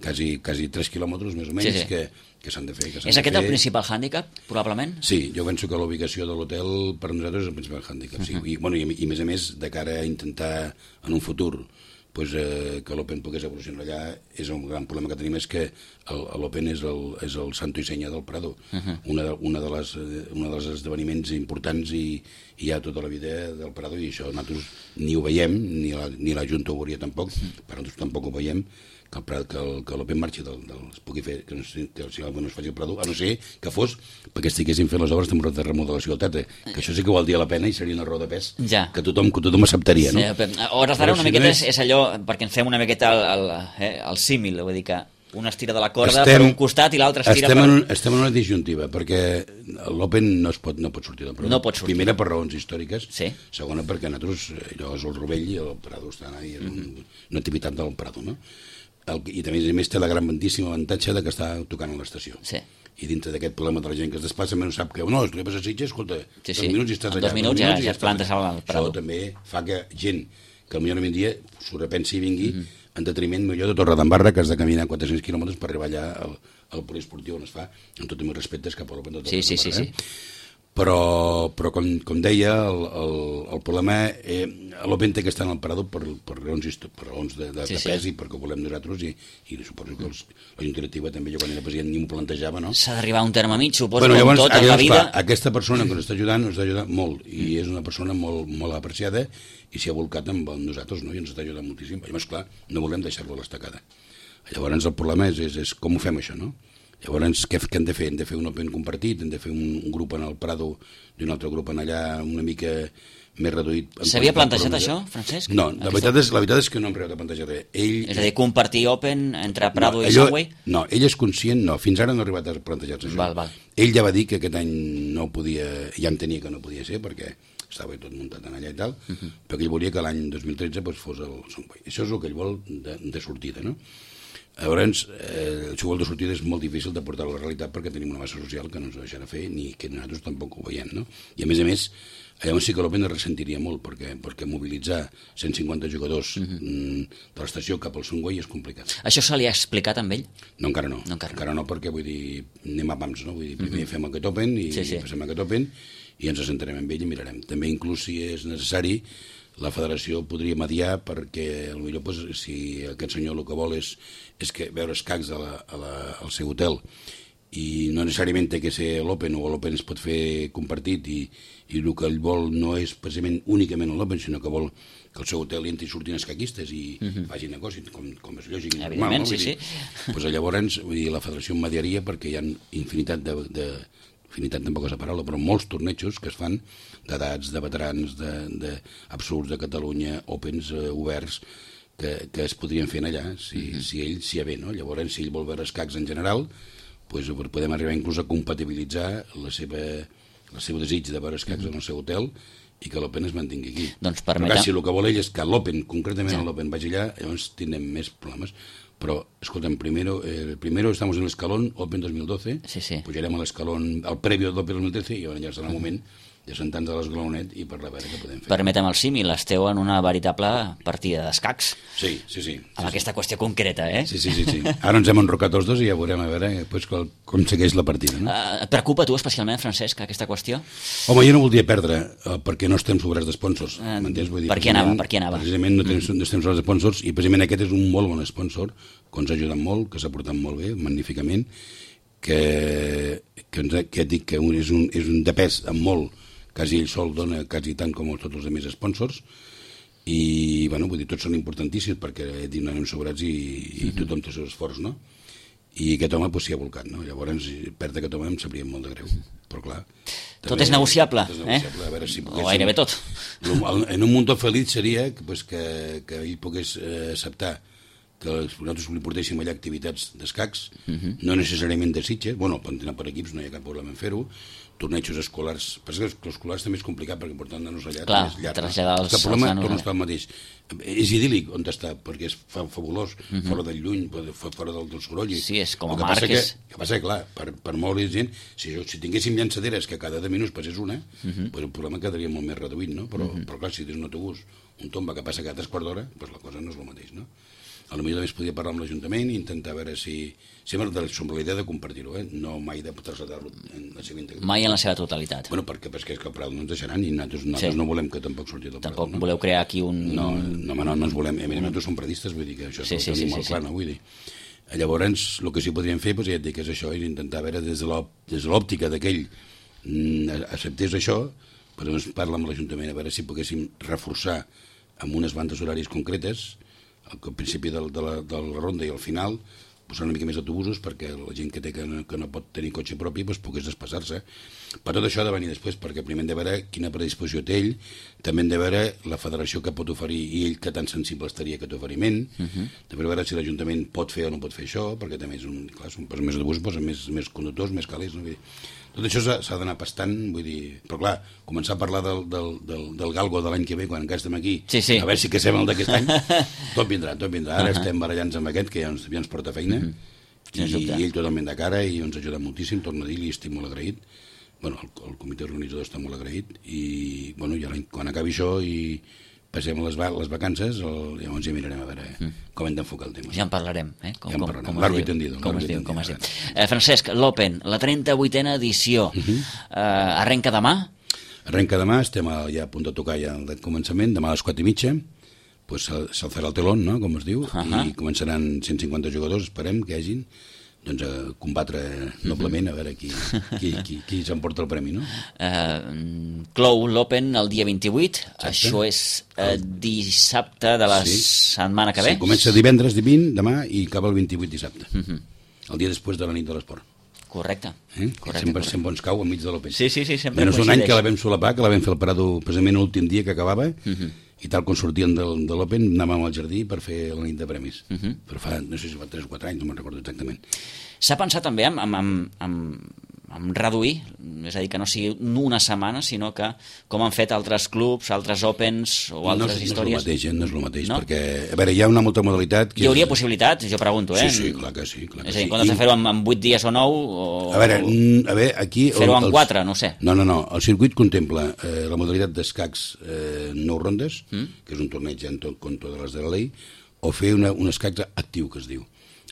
quasi, quasi tres quilòmetres més o menys Sí, sí. que, que s'han de fer. Que s'han És de aquest fer. el principal hàndicap, probablement? Sí, jo penso que la ubicació de l'hotel per nosaltres és el principal hàndicap. Uh -huh. sí. I, bueno, i, I a més a més, de cara a intentar en un futur pues, eh, que l'Open pogués evolucionar allà, és un gran problema que tenim, és que l'Open és, el, és el santo i senya del Prado. Uh -huh. una, de, una, de les, eh, una dels esdeveniments importants i, i hi ha tota la vida del Prado, i això nosaltres ni ho veiem, ni la, ni la Junta ho veuria tampoc, uh -huh. però nosaltres tampoc ho veiem, que el Prado, que, el, que l'Open marxi del, del, es pugui fer, que no, que si no es faci el Prado, a no ser que fos perquè estiguessin fent les obres de remodelació al Tata, que això sí que valdria la pena i seria una raó de pes Ja. que tothom, que tothom acceptaria, no? Sí, a hores d'ara Però una si miqueta no és, és allò, perquè ens fem una miqueta el, el, eh, el símil, vull dir que un estira de la corda Estem- per un costat i l'altre estira estem per... en, un- estem en una disjuntiva, perquè l'Open no, es pot, no pot sortir del Prado. No pot sortir. Primera, per raons històriques. Sí. Segona, perquè nosaltres, eh, allò és el Rovell i el Prado estan ahí, és un, una activitat del Prado, no? El, I també, a més, té la grandíssima avantatge de que està tocant a l'estació. Sí. I dintre d'aquest problema de la gent que es desplaça, no sap que, no, si vas a Sitges, escolta, Sí, dos sí. minuts i estàs En allà. dos minuts ja- i ja et estàs plantes allà. al Prado. Això també fa que gent que potser un dia s'ho repensi i vingui Mhm. en detriment millor de Torredembarra, que has de caminar quatre-cents quilòmetres per arribar allà al, al poliesportiu on es fa, amb tots els meus respectes cap a l'Open de Sí, sí, sí, Torredembarra, sí. eh? Però, però com, com deia, el, el, el problema, eh, l'Open té que estar en el parador per, per raons, histo- per raons de, de, Sí, de sí. pes i perquè ho volem nosaltres, i, i suposo que els, la Junta Directiva també, jo quan era president ni m'ho plantejava, no? S'ha d'arribar a un terme mig, suposo, Bueno, com llavors, tot en la llavors, vida. clar, aquesta persona que ens està ajudant ens està ajudant molt, i és una persona molt, molt apreciada, i s'hi ha volcat amb nosaltres, no? I ens està ajudant moltíssim. Llavors, clar, no volem deixar-lo a l'estacada. Llavors, el problema és, és, és com ho fem, això, no? Llavors, què, què hem de fer? Hem de fer un Open compartit, hem de fer un, un grup en el Prado i un altre grup en allà una mica més reduït. en S'havia qualitat, plantejat però- això, Francesc? No, la Aquesta- veritat, és, la veritat és que no hem arribat a plantejar res. Ell, És a dir, compartir Open entre Prado no, i allò- Sunway? No, ell és conscient, no, fins ara no ha arribat a plantejar-se això. Val, val. Ell ja va dir que aquest any no podia, ja entenia que no podia ser, perquè estava tot muntat en allà i tal, uh -huh. però que ell volia que l'any dos mil tretze pues, fos el Sunway. Això és el que ell vol de, de sortida, no? Llavors, eh, el xugol de sortida és molt difícil de portar a la realitat perquè tenim una massa social que no ens ho deixarà fer ni que nosaltres tampoc ho veiem, no? I a més a més, llavors sí que l'Open es ressentiria molt perquè, perquè mobilitzar cent cinquanta jugadors uh-huh. mm, de l'estació cap al Sunway és complicat. Això se li ha explicat amb ell? No, encara no. No, encara no. encara no, perquè vull dir, anem a pams, no? Vull dir, primer uh-huh. fem aquest Open i Sí, sí. fem aquest Open i ens assentarem amb ell i mirarem. També, inclús si és necessari, la federació podria mediar perquè, potser, pues, si aquest senyor el que vol és, és que veure escacs a la, a la, al seu hotel i no necessàriament té que ser l'Open o l'Open es pot fer compartit i, i el que ell vol no és precisament únicament l'Open, sinó que vol que el seu hotel hi entri i surtin escaquistes i uh-huh. facin negoci, com, com és lògic i normal, Evidentment, no? sí, Vull dir, sí. Pues llavors vull dir, la federació mediaria perquè hi ha infinitat de, de afinitat tampoc és la paraula, però molts tornejos que es fan d'edats, de veterans, de, de absurds de Catalunya, opens eh, oberts, que, que es podrien fer allà, si, mm -hmm. si ell s'hi ve, no? Llavors, si ell vol veure escacs en general, pues, podem arribar inclús a compatibilitzar la seva, el seu desig de veure escacs mm -hmm. en el seu hotel i que l'Open es mantingui aquí. Doncs permetem... Perquè si el que vol ell és que l'Open, concretament ja. l'Open vagi allà, llavors tindrem més problemes. Però, escolta'm, primero, eh, primero estamos en el escalón Open dos mil doce, sí, sí. pujarem a l'escalón al previo d'Open dos mil trece i llavors ja serà el moment de sentar-nos a l'esgalonet i per la veure què podem fer. Permetem el símil, esteu en una veritable partida d'escacs. Sí, sí, sí. Amb sí, aquesta sí. qüestió concreta, eh? Sí, sí, sí, sí. Ara ens hem enrocat els dos i ja veurem a veure pues, com segueix la partida. No? Uh, et preocupa a tu especialment, Francesc, aquesta qüestió? Home, jo no voldria perdre uh, perquè no estem sobrats d'esponsors. Uh, M'entens? Vull dir, per què anava? Per què anava? Precisament no, tenim, no estem sobrats d'esponsors i precisament aquest és un molt bon sponsor que ens ha ajudat molt, que s'ha portat molt bé, magníficament, que, que, ens ha, que dic que és un, és un de pes amb molt, quasi ell sol dona quasi tant com tots els altres sponsors i, bueno, vull dir, tots són importantíssims perquè no anem sobrats i, i tothom té el seu esforç, no? I aquest home pues, s'hi ha volcat, no? Llavors, perdre aquest home em sabria molt de greu, però clar... Tot és negociable, tot és negociable eh? A veure si o gairebé tot. En un mundo feliç seria pues, que, que ell pogués eh, acceptar que nosaltres li portéssim allà activitats d'escacs, uh -huh. no necessàriament de Sitges, bueno, poden anar per equips, no hi ha cap problema en fer-ho, tornejos escolars, però és que els escolars també és complicat perquè portant nanos allà clar, és llarg. Traslladar els, el problema els torna a estar el mateix. És idíl·lic on està, perquè és fa, fabulós, uh -huh. fora del lluny, fora del, del soroll. Sí, és com a el que marc. Passa és... que, que passa que, clar, per, per molt gent, si, jo, si tinguéssim llançaderes que cada deu minuts passés una, uh -huh. pues el problema quedaria molt més reduït, no? Però, uh -huh. però clar, si tens un autobús, un tomba que passa cada tres quarts d'hora, pues la cosa no és el mateix, no? A lo millor també es podia parlar amb l'Ajuntament i intentar veure si... Sempre som la idea de compartir-ho, eh? No mai de traslladar-lo en la seva integritat. Mai en la seva totalitat. Bueno, perquè, perquè és que el Prado no ens deixaran i nosaltres, nosaltres sí. no volem que tampoc surti del Prado. Tampoc no? voleu crear aquí un... No, no, no, no ens volem. A mi, nosaltres som predistes, vull dir que això sí, és sí, el sí, tenim sí, molt sí. clar, no? Vull dir. Llavors, el que sí podríem fer, doncs, ja et dic, és això, és intentar veure des de l'òptica d'aquell acceptés això, però ens parla amb l'Ajuntament a veure si poguéssim reforçar amb unes bandes horàries concretes al principi de, de, la, de la ronda i al final posar una mica més d'autobusos perquè la gent que té que no, que no pot tenir cotxe propi doncs, pogués desplaçar-se. Per tot això ha de venir després, perquè primer hem de veure quina predisposició té ell, també hem de veure la federació que pot oferir i ell que tan sensible estaria a aquest oferiment, uh -huh. també veure si l'Ajuntament pot fer o no pot fer això, perquè també és un, clar, són més autobusos, posen més, més conductors, més calés, no? Vull dir, tot això s'ha d'anar pastant, vull dir... Però clar, començar a parlar del, del, del, del galgo de l'any que ve, quan encara estem aquí, sí, sí. a veure si casem el d'aquest any, tot vindrà, tot vindrà. Ara uh -huh. estem barallant-nos amb aquest, que ja ens, ja ens porta feina, uh -huh. i, i ell totalment de cara, i ens ajuda moltíssim, torno a dir, li estic molt agraït. Bueno, el, el comitè organitzador està molt agraït, i bueno, ja quan acabi això i passem les, va les vacances, el, llavors ja mirarem a veure mm. com hem d'enfocar el tema. Ja en parlarem, eh? Com, ja en parlarem. Com, com, tendido, com es diu, com es diu. Eh, Francesc, l'Open, la trenta-vuitena edició, uh -huh. eh, arrenca demà? Arrenca demà, estem a, ja a punt de tocar ja el començament, demà a les quatre i mitja, pues s'alçarà el telón, no?, com es diu, uh -huh. i començaran cent cinquanta jugadors, esperem que hi hagin, doncs a combatre noblement a veure qui, qui, qui, qui s'emporta el premi, no? Uh, clou l'Open el dia vint-i-vuit, exacte. Això és uh, dissabte de la sí. setmana que ve? Sí, comença divendres, vint, demà, i acaba el vint-i-vuit dissabte, uh -huh. el dia després de la nit de l'esport. Correcte. Eh? correcte sempre, correcte. sempre ens cau enmig de l'Open. Sí, sí, sí, sempre menys un any que la vam solapar, que la vam fer al Prado precisament l'últim dia que acabava, uh -huh. i tal com sortien del, de l'Open anàvem al jardí per fer la nit de premis. Uh -huh. Però fa, no sé si fa tres o quatre anys, no me'n recordo exactament. S'ha pensat també en, en, en, en, en reduir, és a dir, que no sigui una setmana, sinó que, com han fet altres clubs, altres Opens o altres no, històries... No és el mateix, eh? no és el mateix, no? perquè, a veure, hi ha una molta modalitat... Que hi hauria és... possibilitats, jo pregunto, eh? Sí, sí, clar que sí. Clar que és a dir, sí. quan has de fer-ho en, en vuit dies o nou... O... A veure, a veure aquí... Fer-ho en quatre, no sé. No, no, no, el circuit contempla eh, la modalitat d'escacs eh, nou rondes, mm? que és un torneig en tot contra de les de la llei, o fer una, un escacs actiu, que es diu.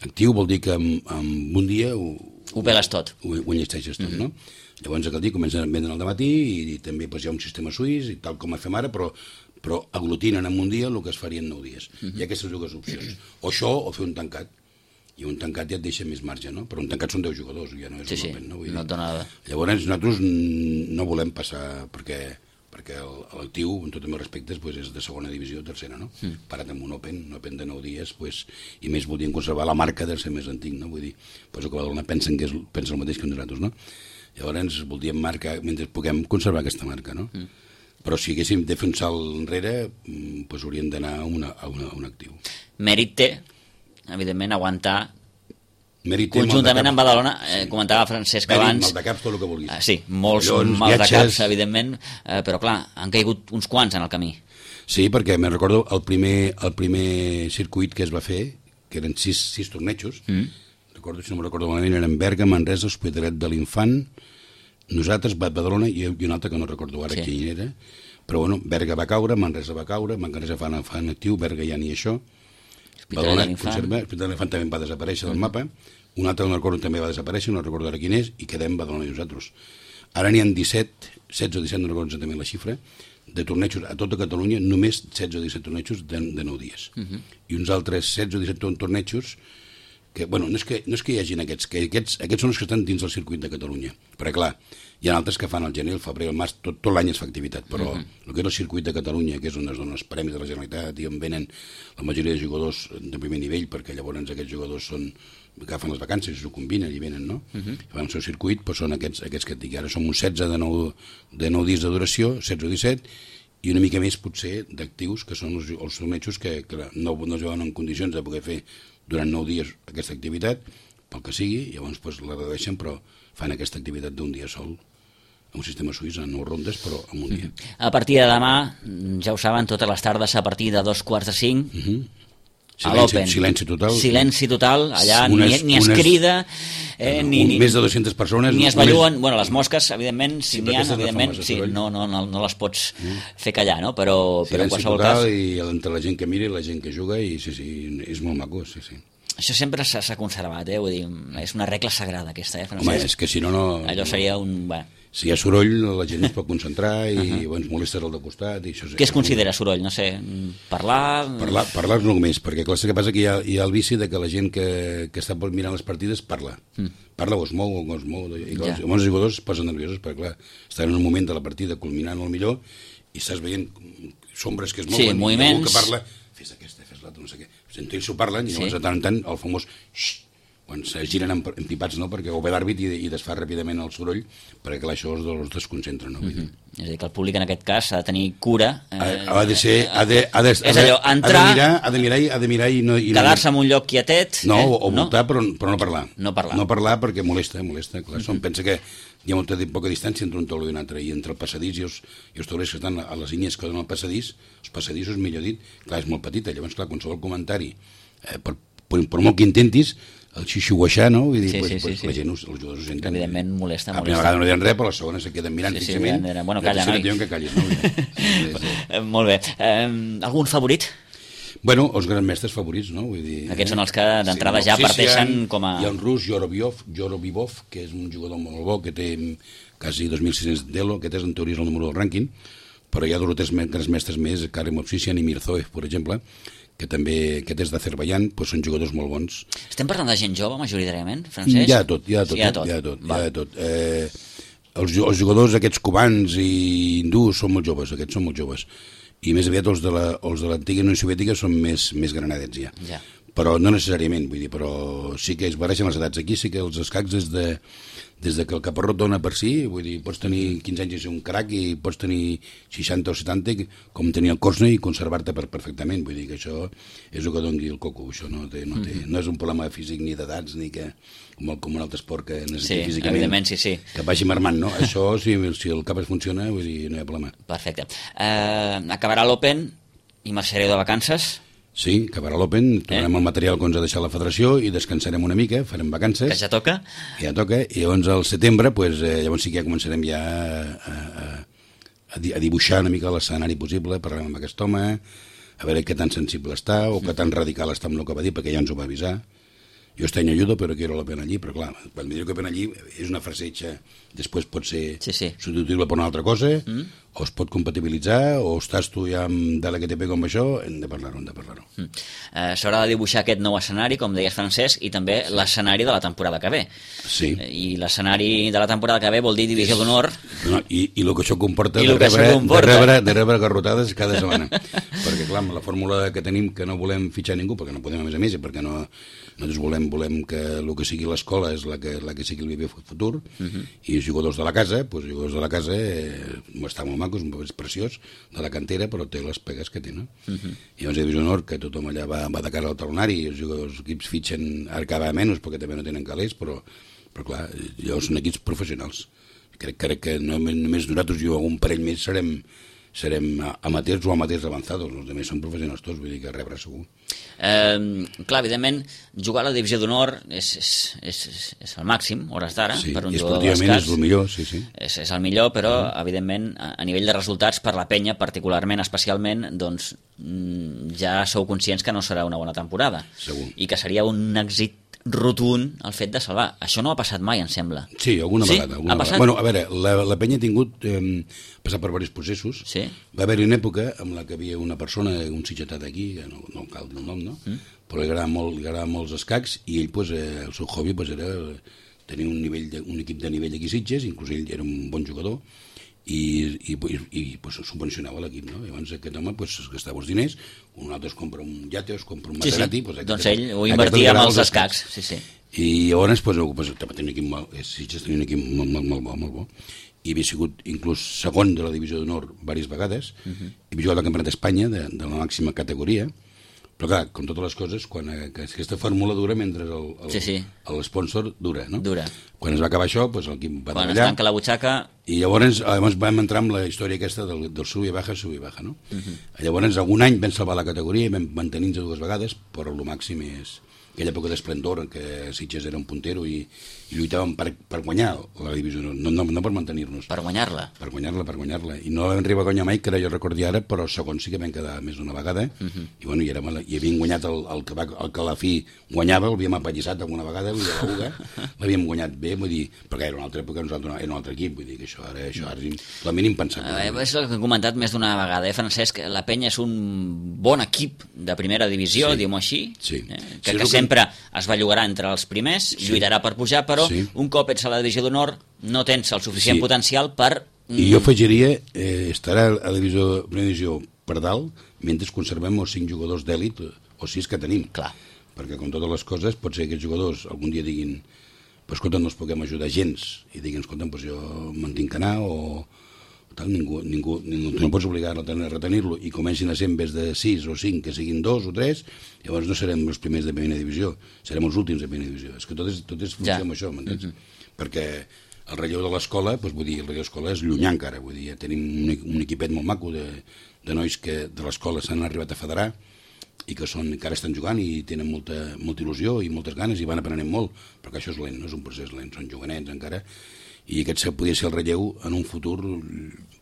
Actiu vol dir que en, en un dia... Ho, ho peles tot. Ho, ho enllesteixes tot, mm -hmm. no? Llavors aquell dia comencen a vendre al dematí i, i també pues, hi ha un sistema suís, i tal com fem ara, però, però aglutinen en un dia el que es faria en nou dies. Mm -hmm. Hi ha aquestes dues opcions. O això, o fer un tancat. I un tancat ja et deixa més marge, no? Però un tancat són deu jugadors, ja no és sí, un sí, open, no? Vull no et dona nada. Llavors nosaltres no volem passar, perquè perquè l'actiu, en tots els respectes, pues, és de segona divisió o tercera, no? Mm. Parat amb un Open, un Open de nou dies, pues, i més volien conservar la marca de ser més antic, no? Vull dir, pues, el que Badalona pensen que és, pensa el mateix que nosaltres, no? Llavors voldríem marcar, mentre puguem conservar aquesta marca, no? Mm. Però si haguéssim de fer un salt enrere, doncs hauríem d'anar a, una, a, una, a un actiu. Mèrit té, evidentment, aguantar Mèrit conjuntament amb Badalona, eh, sí. Comentava Francesc Mèrit, abans... maldecaps, tot el que vulguis. Eh, sí, molts Collons, maldecaps, evidentment, eh, però clar, han caigut uns quants en el camí. Sí, perquè me'n recordo el primer, el primer circuit que es va fer, que eren sis, sis tornejos, mm. recordo, si no me'n recordo malament, eren Berga, Manresa, Hospitalet de l'Infant, nosaltres, Badalona i, i un altre que no recordo ara sí. Quin era, però bueno, Berga va caure, Manresa va caure, Manresa fa, fa en actiu, Berga ja ni això, Badalona conserva, Hospitalet de l'Infant també va desaparèixer del mapa, un altre no recordo també va desaparèixer, no recordo ara quin és, i quedem Badalona i nosaltres. Ara n'hi ha disset, setze o disset, no recordo exactament la xifra, de tornejos a tota Catalunya, només setze o disset tornejos de, de nou dies. Uh -huh. I uns altres setze o disset tornejos que, bueno, no és que, no és que hi hagin aquests, que aquests, aquests són els que estan dins del circuit de Catalunya. Perquè, clar, hi ha altres que fan el gener, el febrer, el març, tot, tot l'any es fa activitat, però uh -huh. el que és el circuit de Catalunya, que és on es donen els premis de la Generalitat i on venen la majoria de jugadors de primer nivell, perquè llavors aquests jugadors són agafen les vacances i s'ho combinen i venen, no? Uh -huh. Fan el seu circuit, però són aquests, aquests que et dic. Ara som uns setze de nou, de nou dies de duració, setze o disset, i una mica més potser d'actius, que són els, els tornejos que, que no, no es veuen en condicions de poder fer durant nou dies aquesta activitat, pel que sigui, llavors pues, la redueixen, però fan aquesta activitat d'un dia sol, amb un sistema suís, en nou rondes, però en un dia. A partir de demà, ja ho saben, totes les tardes a partir de dos quarts de cinc, uh -huh. a l'Open. Silenci total. Silenci total, allà unes, ni, ni es unes, crida, eh, un, ni, ni... Més de dues-centes persones. Ni es belluen, bueno, les mosques, evidentment, si sí, n'hi ha, evidentment, sí, no, no, no, no les pots mm. fer callar, no? Però, però en qualsevol total, cas... i entre la gent que mira i la gent que juga, i sí, sí, és molt maco, sí, sí. Això sempre s'ha conservat, eh? Vull dir, és una regla sagrada aquesta, eh, Francesc? Home, és que si no, no... Allò seria un... Bé. Si hi ha soroll, la gent no es pot concentrar i uh -huh. bueno, ens molestes al de costat. I això és, Què es considera soroll? No sé, parlar... Parlar, parlar no només, perquè clar, que passa que hi ha, hi ha el vici de que la gent que, que està mirant les partides parla. Mm. Parla o es mou o no es mou. I clar, ja. Els jugadors es posen nerviosos perquè clar, estan en un moment de la partida culminant el millor i estàs veient sombres que es mouen. Sí, moviments. Que parla, fes aquesta, fes l'altra, no sé què. Entre ells s'ho parlen i sí. llavors de tant en tant el famós xxt, quan se giren empipats, no? Perquè ho ve l'àrbit i, i desfà ràpidament el soroll, perquè clar, això els, els desconcentra, no? Mm -hmm. És a dir, que el públic en aquest cas ha de tenir cura. Eh, ha, ha de ser... Ha de, ha de, és allò, entrar... Ha de mirar, ha de mirar i, ha de mirar i no... Quedar-se en un lloc quietet... No, eh? o, o voltar, no? Però, però no parlar. No parlar. No parlar perquè molesta, molesta. Clar, mm -hmm. Pensa que hi ha molta poca distància entre un taulell i un altre, i entre el passadís i els, i els taulers que estan a les línies que donen el passadís, els passadissos, millor dit, clar, és molt petita. Llavors, clar, qualsevol comentari, eh, per, per, per molt que intentis, el xixuguaixar, no? Vull dir, sí, pues, sí, pues, sí, la sí. gent, els jugadors ho senten. Evidentment molesta, molesta. La primera vegada no diuen res, però la segona se queden mirant sí, sí, fixament. Era, bueno, calla, noi. No que callis, no? sí, sí. Eh, molt bé. Eh, algun favorit? Bueno, els grans mestres favorits, no? Vull dir, aquests són els que d'entrada sí, ja parteixen com a... Hi ha un rus, Yorobivov, Yorobivov, que és un jugador molt bo, que té quasi dos mil sis-cents d'elo, aquest és en teoria el número del rànquing, però hi ha dos o tres grans mestres més, Karim Ovsisyan i Mirzoev, per exemple, que també, aquest és d'Azerbaiyán, doncs són jugadors molt bons. Estem parlant de gent jove, majoritàriament, Francesc? Hi ha tot, hi ha tot, sí, hi ha tot. Hi ha tot, hi ha tot. Eh, els, els jugadors aquests cubans i hindús són molt joves, aquests són molt joves, i més aviat els de l'antiga Unió Soviètica són més, més granadets ja. ja. Però no necessàriament, vull dir, però sí que es barregen les edats. Aquí sí que els escacs des de, des de que el caparrot dona per si, vull dir, pots tenir quinze anys i ser un crac i pots tenir seixanta o setanta com tenir el Korsney i conservar-te per perfectament, vull dir que això és el que doni el coco, això no, té, no, té, no és un problema físic ni d'edats ni que com, com un altre esport que necessita sí, físicament evidentment, sí, sí. que vagi marmant, no? Això si, si el cap es funciona, vull dir, no hi ha problema. Perfecte. Eh, acabarà l'Open i marxareu de vacances? Sí, acabarà l'Open, tornarem eh? el material que ens ha deixat la federació i descansarem una mica, farem vacances. Que ja toca? Que ja toca, i llavors al setembre, pues, eh, llavors sí que ja començarem ja a, a, a dibuixar una mica l'escenari possible, parlarem amb aquest home, a veure què tan sensible està o què tan radical està amb el que va dir, perquè ja ens ho va avisar. Jo estoy en ayudo, pero quiero la pena allí, però clar, quan me diu que pena allí és una frase hecha, després pot ser sí, sí. substituïble per una altra cosa, mm. o es pot compatibilitzar, o estàs tu ja amb de la que te pega amb això, hem de parlar-ho, hem de parlar-ho. Mm. Eh, S'haurà de dibuixar aquest nou escenari, com deies, Francesc, i també sí. l'escenari de la temporada que ve. Sí. I l'escenari de la temporada que ve vol dir divisió d'honor. No, i, I el que això comporta, I de, que rebre, això comporta. De, rebre, de rebre garrotades cada setmana. Perquè, clar, la fórmula que tenim, que no volem fitxar ningú, perquè no podem a més a més, i perquè no... Nosaltres volem, volem que el que sigui l'escola és la que, la que sigui el viver futur, uh -huh. i els jugadors de la casa, doncs, els jugadors de la casa eh, està molt maco, és preciós, de la cantera, però té les pegues que té, no? Uh -huh. I llavors hi ha Divisió d'Honor, que tothom allà va, va de cara al talonari, i els, jugadors, els equips fitxen ara cada menys, perquè també no tenen calés, però, però clar, llavors són equips professionals. Crec, crec que no, només nosaltres i algun parell més serem serem amateurs o amateurs avançados, els altres són professionals tots, vull dir que rebre segur. Eh, clar, evidentment, jugar a la divisió d'honor és, és, és, és el màxim, hores d'ara, sí, per un i jugador esportivament d'escacs. és el millor, sí, sí. És, és el millor, però, uh-huh. evidentment, a, a nivell de resultats, per la penya, particularment, especialment, doncs, ja sou conscients que no serà una bona temporada. Segur. I que seria un èxit rotund el fet de salvar. Això no ha passat mai, em sembla. Sí, alguna sí? vegada. Alguna ha passat? Vegada. Bueno, a veure, la, la penya ha tingut eh, passat per diversos processos. Sí? Va haver-hi una època en la que havia una persona, un sitgetat aquí, que no, no cal dir el nom, no? Mm? Però li agrada molt, li agrada molt els escacs, i ell, pues, eh, el seu hobby pues, era tenir un, nivell de, un equip de nivell aquí a Sitges, inclús ell era un bon jugador, i, i, i, i pues, subvencionava l'equip, no? Llavors aquest home pues, es gastava els diners, un altre es compra un iate, es compra un Maserati... Sí, sí. Pues, doncs ell ho invertia amb els escacs. Sí, sí. I llavors pues, pues, tenia un equip molt, Sitges tenia un equip molt, molt, molt bo, molt bo, i havia sigut inclús segon de la divisió d'honor diverses vegades, uh -huh. i havia jugat al Campionat d'Espanya de, de la màxima categoria, però clar, com totes les coses, quan aquesta fórmula dura mentre l'esponsor sí, sí. dura, no? Dura. Quan es va acabar això, doncs l'equip va quan treballar. Quan es tanca la butxaca... I llavors, llavors vam entrar amb la història aquesta del, del sub i baja, sub i baja, no? Uh -huh. Llavors, algun any vam salvar la categoria i vam mantenir-nos dues vegades, però el màxim és aquella època d'esplendor en què Sitges era un puntero i, i lluitàvem per, per guanyar la divisió, no, no, no per mantenir-nos. Per guanyar-la. Per guanyar-la, per guanyar-la. I no vam arribar a guanyar mai, que ara jo recordi ara, però segon sí que vam quedar més d'una vegada, uh -huh. i bueno, i, érem, i havíem guanyat el, el, que va, el que a la fi guanyava, l'havíem apallissat alguna vegada, vull dir, a la U G A, l'havíem guanyat bé, vull dir, perquè era una altra època, nosaltres era un altre equip, vull dir que això ara, això ara és la mínim pensat. Eh, és el que he comentat més d'una vegada, eh, Francesc? La penya és un bon equip de primera divisió, sí. diguem-ho així, sí. eh, que, sí, que sempre que... es bellugarà entre els primers, sí. lluitarà per pujar, però sí. un cop ets a la divisió d'honor no tens el suficient sí. potencial per... I jo afegiria, eh, estarà a la divisió, primera divisió per dalt, mentre conservem els cinc jugadors d'èlit, o sis que tenim. Clar. Perquè com totes les coses, pot ser que aquests jugadors algun dia diguin, pues, escolta, no els puguem ajudar gens, i diguin, escolta, pues, jo me'n tinc que anar, o tal, ningú, ningú, ningú no pots obligar a retenir-lo, i comencin a ser en vez de sis o cinc, que siguin dos o tres, llavors no serem els primers de primera divisió, serem els últims de primera divisió. És que tot és, tot és funció ja. amb això, m'entens? Mm-hmm. Perquè el relleu de l'escola, doncs, vull dir, el relleu de l'escola és llunyà encara, vull dir, ja tenim un, un equipet molt maco de, de nois que de l'escola s'han arribat a federar i que són, encara estan jugant i tenen molta, molta il·lusió i moltes ganes i van aprenent molt, perquè això és lent, no és un procés lent, són jovenets encara, i aquest podria ser el relleu en un futur,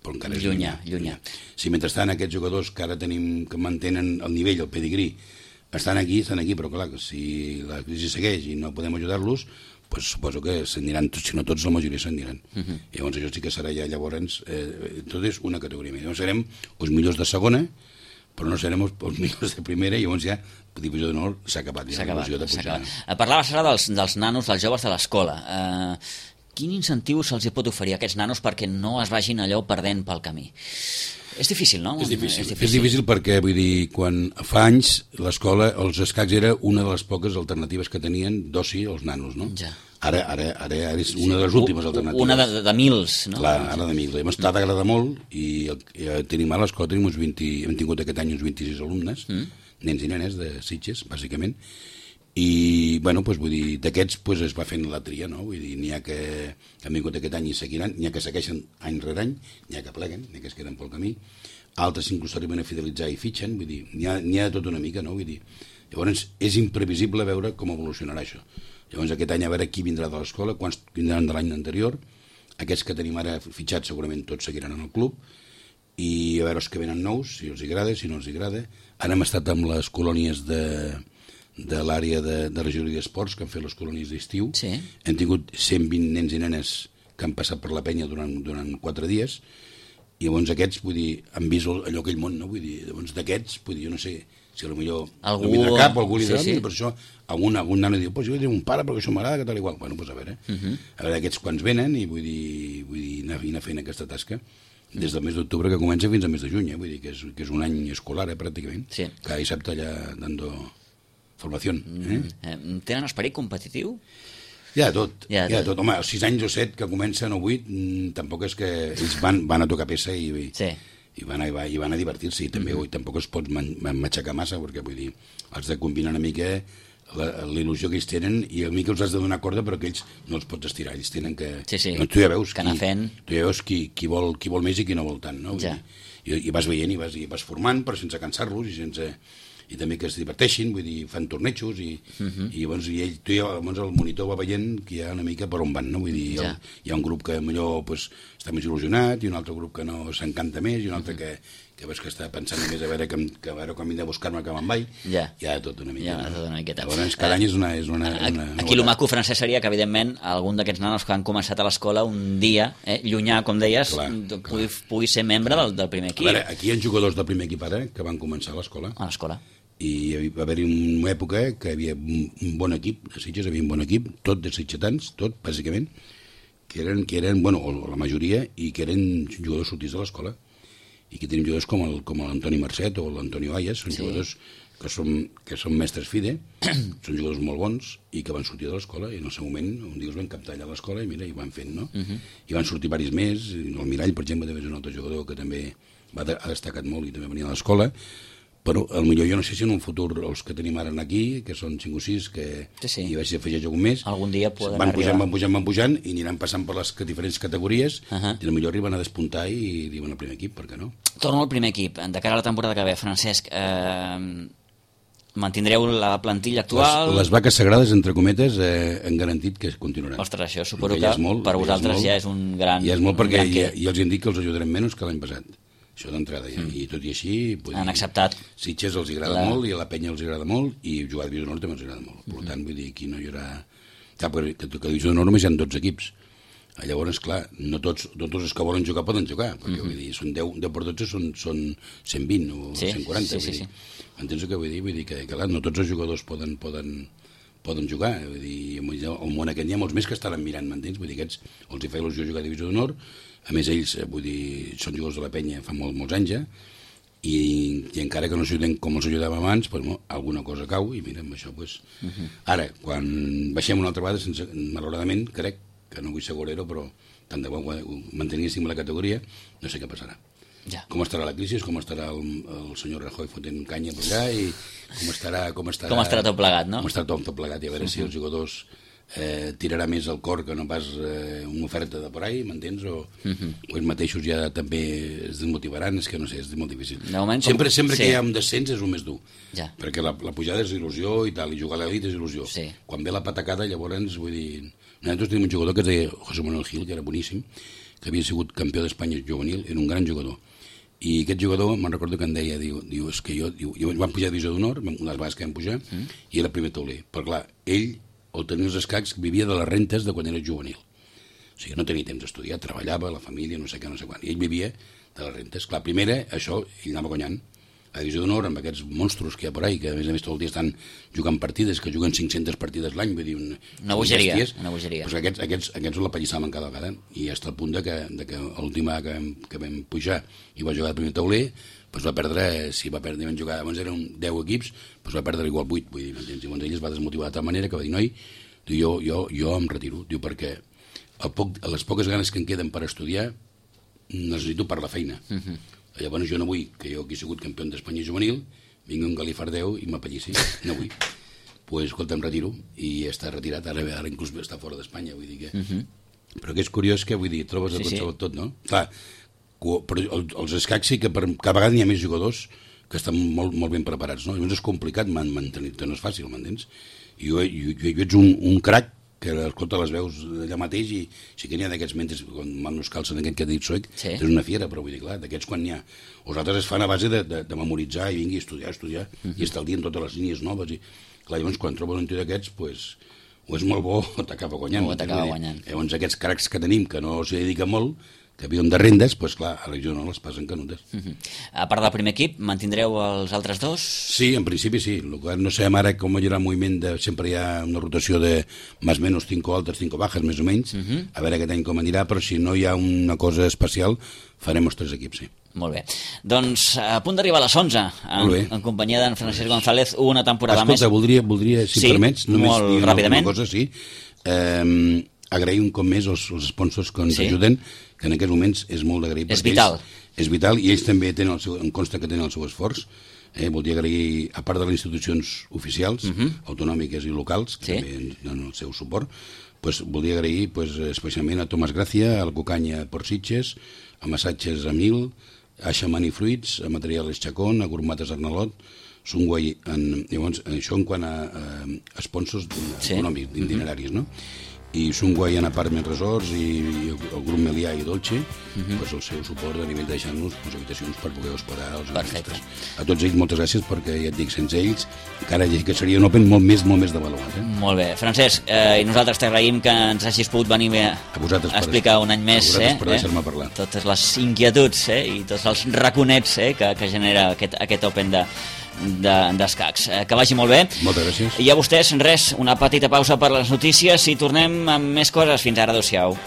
però encara és llunyà. llunyà. Si mentrestant aquests jugadors que ara tenim, que mantenen el nivell, el pedigrí, estan aquí, estan aquí, però clar, si la crisi segueix i no podem ajudar-los, pues suposo que s'aniran tots, si no tots, la majoria s'aniran. Uh -huh. I llavors això sí que serà ja llavors, eh, tot és una categoria més. Llavors serem els millors de segona, però no serem els, els millors de primera, i llavors ja la divisió d'honor s'ha acabat. S'ha acabat, s'ha acabat. Parlaves ara dels, dels nanos, dels joves de l'escola. Uh, quin incentiu se'ls pot oferir a aquests nanos perquè no es vagin allò perdent pel camí? És difícil, no? És difícil. és difícil, és difícil perquè, vull dir, quan fa anys l'escola, els escacs era una de les poques alternatives que tenien d'oci els nanos, no? Ja. Ara, ara, ara, ara és una de les últimes alternatives. Una de, de mils, no? Clar, ara de mils. Hem estat agradar molt i, i tenim a l'escola, tenim uns vint, hem tingut aquest any uns vint-i-sis alumnes, mm. nens i nenes de Sitges, bàsicament, i, bueno, doncs, vull dir, d'aquests doncs, es va fent la tria, no? Vull dir, n'hi ha que, que han vingut aquest any i seguiran, n'hi ha que segueixen any rere any, n'hi ha que pleguen, n'hi ha que es queden pel camí, altres inclús arriben a fidelitzar i fitxen, vull dir, n'hi ha, n'hi ha tot una mica, no? Vull dir, llavors és imprevisible veure com evolucionarà això. Llavors aquest any a veure qui vindrà de l'escola, quants vindran de l'any anterior, aquests que tenim ara fitxats segurament tots seguiran en el club, i a veure els que venen nous, si els agrada, si no els agrada. Ara hem estat amb les colònies de, de l'àrea de, de regidoria d'esports, que han fet les colònies d'estiu. Sí. Hem tingut cent vint nens i nenes que han passat per la penya durant, durant quatre dies, i llavors aquests, vull dir, han vist allò aquell món, no? Vull dir, llavors d'aquests, vull dir, jo no sé si potser algú... no vindrà cap o algú li sí, dirà, sí. Per això algun, algun nano diu, pues jo diré un pare perquè això m'agrada, que tal igual. Bueno, doncs a veure, uh -huh. a veure aquests quants venen i vull dir, vull dir anar, anar fent aquesta tasca des del mes d'octubre que comença fins al mes de juny, eh? Vull dir que és, que és un any escolar, eh, pràcticament. Sí. Cada dissabte allà dando formació. Eh? Mm, tenen esperit competitiu? Hi ha tot, hi ha hi ha tot. tot. Home, els sis anys o set que comencen o vuit, mm, tampoc és que ells van, van a tocar peça i, i, sí. i, van, a, i van a divertir-se, i també mm-hmm. tampoc es pot matxacar massa, perquè vull dir, has de combinar una mica la, la il·lusió que ells tenen i a mi que els has de donar corda però que ells no els pots estirar, ells tenen que... Sí, sí. No, tu ja veus, que qui, fent... tu ja veus qui, qui, vol, qui vol més i qui no vol tant, no? Ja. I, i vas veient i vas, i vas formant però sense cansar-los i sense... i també que es diverteixin, vull dir, fan tornejos i, uh -huh. i llavors i ell, tu ja, llavors el monitor va veient que hi ha una mica per on van, no? Vull dir, ja. hi, ha, hi ha un grup que millor pues, està més il·lusionat i un altre grup que no s'encanta més i un altre uh -huh. que, que veus que està pensant més a veure, que, que a veure com vindrà a buscar-me que me'n vaig, ja. hi ha tot una mica. Ja, no? tot una miqueta. Llavors, cada any és una... És una, a, una aquí el maco francès seria que, evidentment, algun d'aquests nanos que han començat a l'escola un dia, eh, llunyà, com deies, clar, pugui, clar. pugui ser membre del, del primer equip. A veure, aquí hi ha jugadors del primer equip ara que van començar a l'escola. A l'escola. I va haver-hi una època que hi havia un bon equip, de Sitges hi havia un bon equip, tot de sitgetans, tot, bàsicament, que eren, que eren bueno, o la majoria, i que eren jugadors sortits de l'escola, i que tenim jugadors com el, com l'Antoni Marcet o l'Antonio Ayas, són sí. jugadors que són, que són mestres FIDE, són jugadors molt bons, i que van sortir de l'escola, i en el seu moment, un dia els van captar allà a l'escola, i mira, i van fent, no? Uh -huh. I van sortir diversos més, el Mirall, per exemple, també és un altre jugador que també va de, ha destacat molt i també venia a l'escola, però potser jo no sé si en un futur els que tenim ara aquí, que són cinc o sis, que sí, sí. hi vaig afegir algun més, algun dia poden van pujant, arribar. van pujant, van pujant, i aniran passant per les diferents categories, uh -huh. i potser arriben a despuntar i diuen al primer equip, per què no? Torno al primer equip. De cara a la temporada que ve, Francesc, eh, mantindreu la plantilla actual? Les, les vaques sagrades, entre cometes, eh, han garantit que continuaran. Ostres, això suposo que, que molt, per vosaltres ja és, molt, ja és un gran... Ja és molt, perquè ja, ja els hem dit que els ajudarem menys que l'any passat. Això d'entrada, ja. Mm. I tot i així... Vull han dir, acceptat. Sitges els agrada la... molt, i a la penya els agrada molt, i jugar a Divisió d'Honor també els agrada molt. Per mm. tant, vull dir, aquí no hi haurà... Clar, perquè que, que a Divisió d'Honor només hi ha dotze equips. Llavors, clar, no tots, tots els que volen jugar poden jugar, perquè mm -hmm. vull dir, són deu, deu per dotze són, són cent vint o sí, cent quaranta. Sí, sí, vull dir. sí. Entens el que vull dir? Vull dir que, que clar, no tots els jugadors poden, poden, poden jugar. Vull dir, al món aquest hi ha molts més que estaran mirant, m'entens? Vull dir, aquests els hi fa il·lusió jugar a Divisió d'Honor. A més, ells, vull dir, són jugadors de la penya fa molt, molts anys ja, i, i encara que no s'ajuden com els ajudàvem abans, pues, bueno, alguna cosa cau, i mira, amb això, pues... Uh -huh. Ara, quan baixem una altra vegada, sense, malauradament, crec, que no vull ser gorero, però tant de bo manteníssim la categoria, no sé què passarà. Ja. Com estarà la crisi, com estarà el, el senyor Rajoy fotent canya per allà, i com estarà... Com estarà, com estarà tot plegat, no? Com estarà tot, tot plegat, i a veure uh -huh. si els jugadors... Eh, tirarà més el cor que no pas eh, una oferta de por ahí, m'entens? O, uh -huh. o ells mateixos ja també es desmotivaran, és que no sé, és molt difícil. Moment, sempre com... sempre sí. que hi ha un descens és el més dur, ja. perquè la, la pujada és il·lusió i tal, i jugar a l'elit és il·lusió. Sí. Quan ve la patacada, llavors, vull dir... Nosaltres tenim un jugador que es deia José Manuel Gil, que era boníssim, que havia sigut campió d'Espanya juvenil, era un gran jugador. I aquest jugador, me'n recordo que em deia, diu, diu és que jo, diu, jo vam pujar a Divisió d'Honor, unes vegades que vam pujar, mm. i era primer tauler. Però clar, ell o tenia els escacs, vivia de les rentes de quan era juvenil. O sigui, no tenia temps d'estudiar, treballava, la família, no sé què, no sé quan. I ell vivia de les rentes. Clar, primera, això, ell anava guanyant. A Divisió d'Honor, amb aquests monstros que hi ha per ahí, que a més a més tot el dia estan jugant partides, que juguen cinc-centes partides l'any, vull dir... Un, una bogeria, una bogeria. Doncs aquests, aquests, aquests la pallissaven cada vegada, i fins al punt de que, de que l'última que, vam, que vam pujar i va jugar al primer tauler, doncs va perdre, si va perdre, van jugar, abans eren deu equips, doncs va perdre igual vuit, vull dir, m'entens? Llavors ell es va desmotivar de tal manera que va dir, noi, diu, jo, jo, jo em retiro, diu, perquè el poc, les poques ganes que em queden per estudiar necessito per la feina. Uh -huh. Llavors jo no vull que jo, que he sigut campió d'Espanya juvenil, vingui un galifardeu i m'apellissi, no vull. Doncs, pues, escolta, em retiro, i està retirat, ara, ara inclús està fora d'Espanya, vull dir que... Uh -huh. Però que és curiós que, vull dir, trobes de sí, tot, sí. tot, no? Clar, però els escacs sí que per, cada vegada hi ha més jugadors que estan molt, molt ben preparats, no? Llavors és complicat mantenir-te, no és fàcil, m'entens? I jo, jo, jo, jo ets un, un crac que escolta les veus allà mateix, i sí que n'hi ha d'aquests mentes, quan manos calcen aquest que ha dit Soec, sí. És una fiera, però vull dir, clar, d'aquests quan n'hi ha. Els altres es fan a base de, de, de memoritzar i vingui a estudiar, a estudiar, uh -huh. i estar al dia en totes les línies noves, i clar, llavors quan trobes un tio d'aquests, pues, o és molt bo o t'acaba guanyant. O t'acaba guanyant. Llavors aquests cracs que tenim, que no s'hi dediquen molt, que viuen de rendes, doncs clar, a la regió no les passen canutes. Uh -huh. A part del primer equip, mantindreu els altres dos? Sí, en principi sí. El que no sabem ara com hi haurà el moviment de... Sempre hi ha una rotació de més o menys cinco altes, cinco bajas, més o menys. Uh -huh. A veure aquest any com anirà, però si no hi ha una cosa especial, farem els tres equips, sí. Molt bé. Doncs a punt d'arribar a les onze, en, en companyia d'en Francesc González, una temporada Escolta, més. Escolta, voldria, voldria, si sí, em permets, només molt dir una, ràpidament. una cosa, sí. Eh, agrair un cop més els, els sponsors que ens sí. ajuden, que en aquests moments és molt d'agrair. És vital. Ells, és vital, i ells també tenen el seu, em consta que tenen el seu esforç. Eh, voldria agrair, a part de les institucions oficials, uh -huh. autonòmiques i locals, que sí. també ens donen el seu suport, pues, voldria agrair pues, especialment a Tomàs Gràcia, a la Cucanya Porcitges, a Massatges Amil, a Xamani Fruits, a Materials Chacón, a Gourmates Arnalot, Sunguai, en, llavors, això en quant a, a sponsors sí. econòmics, d'itineraris, no? I Sunguai en Apartment Resorts i, i el grup Melià i Dolce, uh-huh. pues el seu suport a nivell de deixar-nos pues, habitacions per poder hospedar els artistes. A tots ells moltes gràcies, perquè ja et dic, sense ells encara que seria un Open molt més, molt més devaluat. Eh? Molt bé. Francesc, eh, i nosaltres t'agraïm que ens hagis pogut venir a, a explicar un any més a eh, per deixar-me parlar. Totes les inquietuds eh, i tots els raconets eh, que, que genera aquest, aquest Open de d'escacs. De, que vagi molt bé. Moltes gràcies. I a vostès, res, una petita pausa per les notícies i tornem amb més coses. Fins ara, adéu-siau.